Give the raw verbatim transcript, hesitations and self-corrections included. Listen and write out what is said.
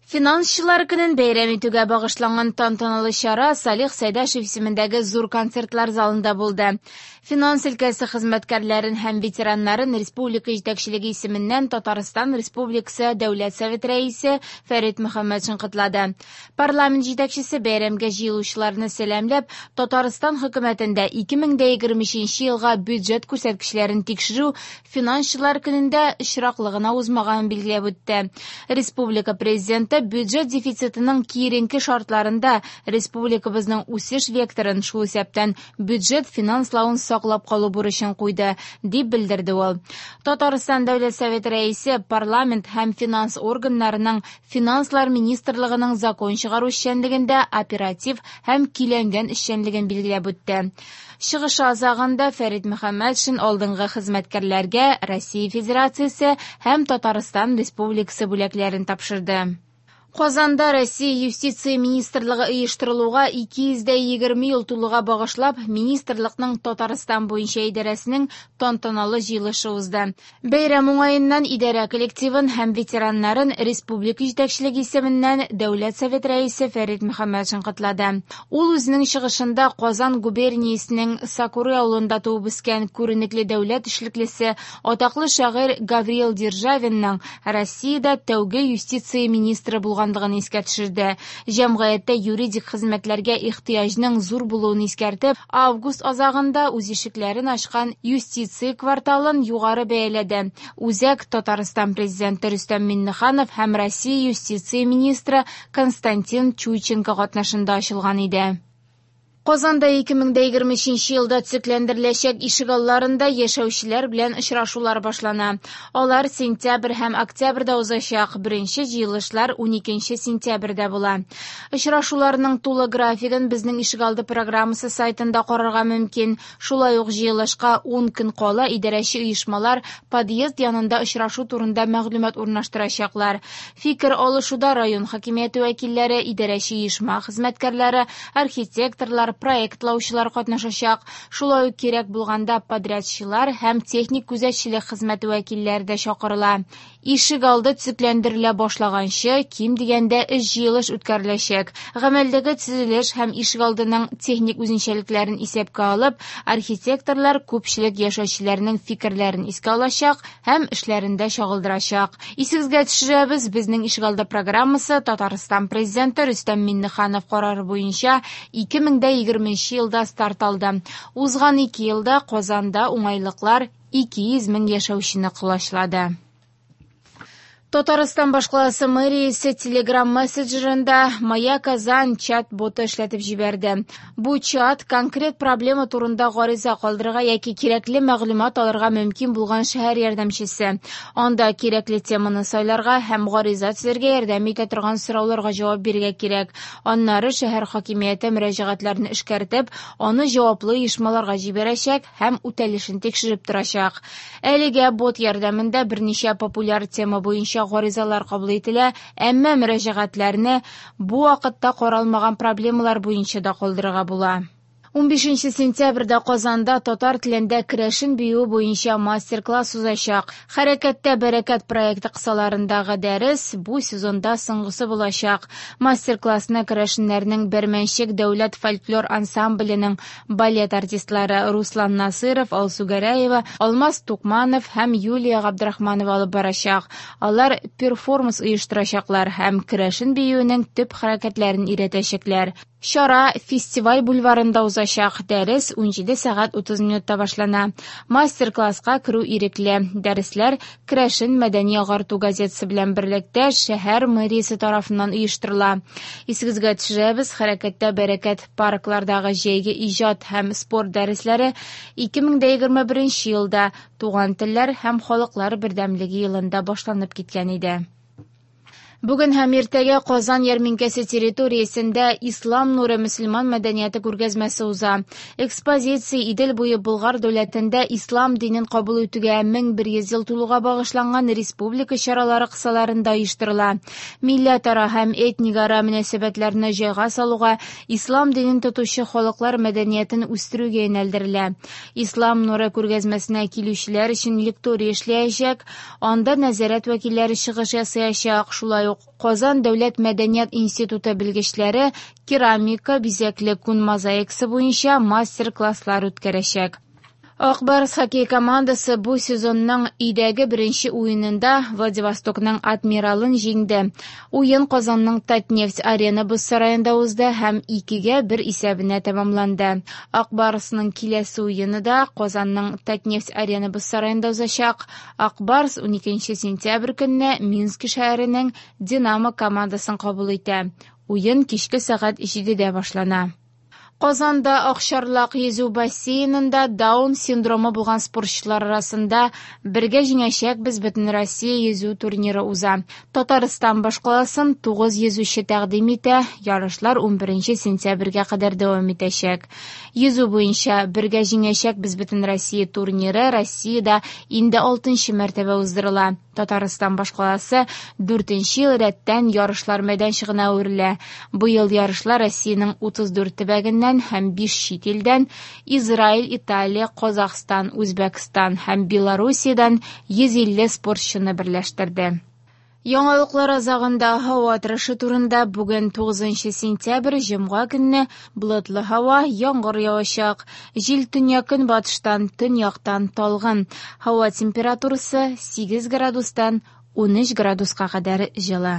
Финансчылар көнен бәйрәм итүгә багышланган тантаналы чара Салих Сәйдәшев исемендәге зур концертлар залында булды. Финанс өлкәсе хезмәткәрләрен һәм ветераннарын республика җитәкчелеге исеменнән Татарстан Республикасы Дәүләт Советы Рәисе Фәрит Мөхәммәтшин котлады. Парламент җитәкчесе бәйрәмгә җыелучыларны сәламләп, Татарстан хөкүмәтендә ике мең дә егерме өченче елга бюджет күрсәткечләрен тикшерү финансчылар көнендә очраклы гына узмаганын билгеләп үтте. Республика президенты бюджет дефицитының киеренке шартларында республикабызның үсеш векторын, шул исәптән бюджет финанславын саклап калу бурычын куйды, дип белдерде ул. Татарстан Дәүләт Советы рәисе парламент һәм финанс органнарының Финанслар министрлыгының закон чыгару эшчәнлегендә оператив һәм көйләнгән эшчәнлеген билгеләп үтте. Чыгышы азагында Фәрит Мөхәммәтшин алдынгы хезмәткәрләргә Россия Федерациясе һәм Татарстан Республикасы бүләкләрен тапшырды. Казанда Россия Юстиция министрлыгы оештырылуга ике йөз дә егерме ел тулуга багышлап, министрлыкның Татарстан буенча идарәсенең тантаналы җыелышы узды. Бәйрәм уңаеннан идарә коллективын һәм ветераннарын республика җитәкчелеге исеменнән Дәүләт Совет рәисе Фәрит Мөхәммәтшин котлады. Ул үзенең чыгышында Казан губерниясенең Сакуры авылында туып үскән күренекле дәүләт эшлеклесе, атаклы шагыйрь Гавриил Державинның Россиядә тәүге юстиция министры булган искә төшерде. Җәмгыятьтә юридик хезмәтләргә ихтыяҗның зур булуын искәртеп, август азагында үз ишекләрен ачкан юстиция кварталын югары бәяләде. Үзәк Татарстан президенты Рөстәм Миңнеханов һәм Россия юстиция министры Константин Чуйченко катнашында ачылган иде. Казанда ике мең дә егерме өченче елда төзекләндереләчәк ишегалларында яшәүчеләр белән очрашулар башлана. Алар сентябрь һәм октябрьдә узачак. Беренче җыелышлар уникенче сентябрьдә була. Очрашуларның тулы графигын безнең ишегалды программасы сайтында карарга мөмкин. Шулай ук җыелышка ун көн кала идарәче оешмалар подъезд янында очрашу турында мәгълүмат урнаштырачаклар. Фикер алышуда район хакимияте вәкилләре, идарәче оешма хезмәткәрләре, архитекторлар, проектлаучылар катнашачак. Шулай ук кирәк булганда подрядчылар һәм техник күзәтчелек хезмәте вәкилләре дә чакырыла. Ишек алды төзекләндерелә башлаганчы, ким дигәндә өч җыелыш үткәреләчәк. Гамәлдәге төзелеш һәм ишек алдының техник үзенчәлекләрен исәпкә алып, архитекторлар күпчелек яшәүчеләрнең фикерләрен искә алачак һәм эшләрендә чагылдырачак. Исегезгә төшерәбез, безнең ишек алды программасы Татарстан президенты Рөстәм Миңнеханов карары буенча ике мең дә егерменче елда старт алды. Узган ике елда Казанда уңайлыклар ике йөз мең яшәүчене колачлады. Татарстан башкаласы мэриясе Telegram мессенджерында Моя Казань чат-боты эшләтеп җибәрде. Бу чат конкрет проблема турында гариза калдырырга яки кирәкле мәгълүмат алырга мөмкин булган шәһәр ярдәмчесе. Анда кирәкле теманы сайларга һәм гариза төзергә ярдәм итә торган сорауларга җавап бирергә кирәк. Аннары шәһәр хакимияте мөрәҗәгатьләрне эшкәртеп, аны җаваплы оешмаларга җибәрәчәк һәм үтәлешен тикшереп торачак. Әлегә бот ярдәмендә берничә популяр тема буенча гаризалар кабул ителә, әмма мөрәҗәгатьләрне бу вакытта каралмаган проблемалар буенча да калдырырга була. Унбишенче сентябрьдә Казанда татар телендә керәшен биюе буенча мастер-класс узачак. Хәрәкәттә бәрәкәт проекты кысаларындагы дәрес бу сезонда соңгысы булачак. Мастер-классны керәшеннәрнең Бәрмәнчек дәүләт фольклор ансамбленең балет артистлары Руслан Насыров, Алсу Гәрәева, Алмаз Тукманов һәм Юлия Габдрахманова алып барачак. Алар перформанс оештырачаклар һәм керәшен биюенең төп хәрәкәтләрен өйрәтәчәкләр. Чара фестиваль бульварында узачак. Дәрес унҗиде сәгать утыз минутта башлана. Мастер-класска керү ирекле. Дәресләр Керәшен мәдәни агарту газетасы белән берлектә шәһәр мэриясе тарафыннан оештырыла. Исегезгә төшерәбез, Хәрәкәттә бәрәкәт парклардагы җәйге иҗат һәм спорт дәресләре ике мең дә егерме беренче елда Туган телләр һәм халыклар бердәмлеге елында башланып киткән иде. Бүген һәм иртәгә Казан ярминкәсе территориясендә Ислам нуры мөселман мәдәнияте күргәзмәсе уза. Экспозиция Идел буе Болгар дәүләтендә ислам динен кабул итүгә мең бер йөз ел тулуга багышланган республика чаралары кысаларында оештырыла. Милләтара һәм этникара мөнәсәбәтләрне җайга салуга, ислам динен тотучы халыклар мәдәниятен үстерүгә юнәлдерелә. Ислам нуры күргәзмәсенә килүчеләр өчен лекторий эшләячәк, анда нәзарәт вәкилләре чыгыш ясаячак, шулай Шулай ук Казан дәүләт мәдәният институты белгечләре керамика, бизәкле күн мозаикасы буенча мастер-класслар үткәрәчәк. Ак Барс хоккей командасы бу сезонның өйдәге беренче уенында Владивостокның «Адмиралын» җиңде. Уен Казанның «Татнефть-Арена» боз сараенда узды һәм икегә бер исәбенә тәмамланды. Ак Барсның киләсе уены да Казанның «Татнефть-Арена» боз сараенда узачак. Ак Барс уникенче сентябрь көнне Минск шәһәренең «Динамо» командасын кабул итә. Уен кичке сәгать җидедә башлана. Казанда Акчарлак йөзү бассейнында Даун синдромы булган спортчылар арасында «Бергә җиңәчәкбез» Бөтенроссия йөзү турниры уза. Татарстан башкаласын тугыз йөзүче тәкъдим итә, ярышлар унберенче сентябрьгә кадәр дәвам итәчәк. Йөзү буенча «Бергә җиңәчәкбез» Бөтенроссия турниры Россиядә инде алтынчы мәртәбә уздырыла. Татарстан башкаласы дүртенче ел рәттән ярышлар мәйданчыгына әверелә. Быел ярышлар Россиянең утыз дүрт төбәгеннән һәм биш чит илдән Израиль, Италия, Казахстан, Үзбәкстан һәм Белоруссиядән йөз илле спортчыны берләштерде. Яңалыклар азагында һава торышы турында. Бүген тугызынчы сентябрь, җомга көнне болытлы һава, яңгыр явачак. Җил төньяк-көнбатыштан, төньяктан талгын. Һава температурасы сигез градустан унөч градуска кадәр җылы.